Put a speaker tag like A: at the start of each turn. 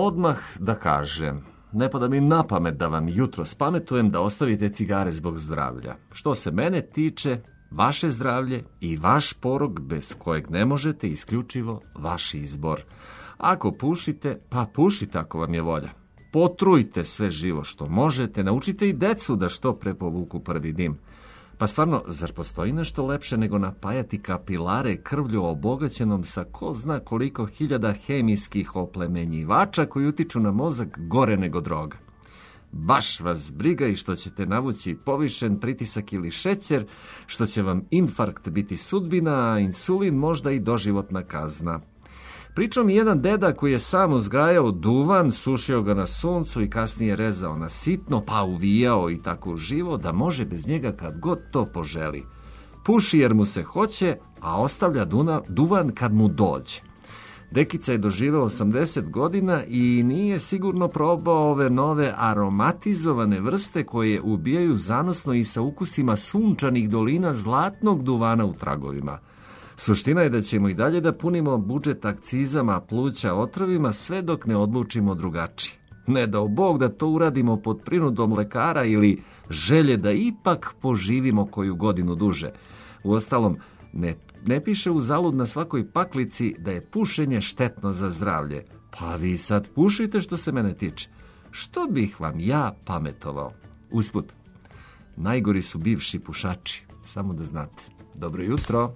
A: odmah da kažem, ne pada mi na pamet da vam jutro spametujem da ostavite cigare zbog zdravlja. Što se mene tiče, vaše zdravlje i vaš porok bez kojeg ne možete, isključivo vaš izbor. Ako pušite, pa pušite ako vam je volja. Potrujte sve živo što možete, naučite i decu da što pre povuku prvi dim. Pa stvarno, zar postoji nešto lepše nego napajati kapilare krvlju obogaćenom sa ko zna koliko hiljada hemijskih oplemenjivača koji utiču na mozak gore nego droga? Baš vas briga i što ćete navući povišen pritisak ili šećer, što će vam infarkt biti sudbina, a insulin možda i doživotna kazna. Pričao mi jedan deda koji je sam uzgajao duvan, sušio ga na suncu i kasnije rezao na sitno, pa uvijao i tako uživo da može bez njega kad god to poželi. Puši jer mu se hoće, a ostavlja duvan kad mu dođe. Dekica je doživeo 80 godina i nije sigurno probao ove nove aromatizovane vrste koje ubijaju zanosno i sa ukusima sunčanih dolina zlatnog duvana u tragovima. Suština je da ćemo i dalje da punimo budžet akcizama, pluća, otrovima, sve dok ne odlučimo drugačije. Ne dao Bog da to uradimo pod prinudom lekara ili želje da ipak poživimo koju godinu duže. Uostalom, ne piše uzalud na svakoj paklici da je pušenje štetno za zdravlje. Pa vi sad pušite što se mene tiče. Što bih vam ja pametovao? Usput, najgori su bivši pušači, samo da znate. Dobro jutro!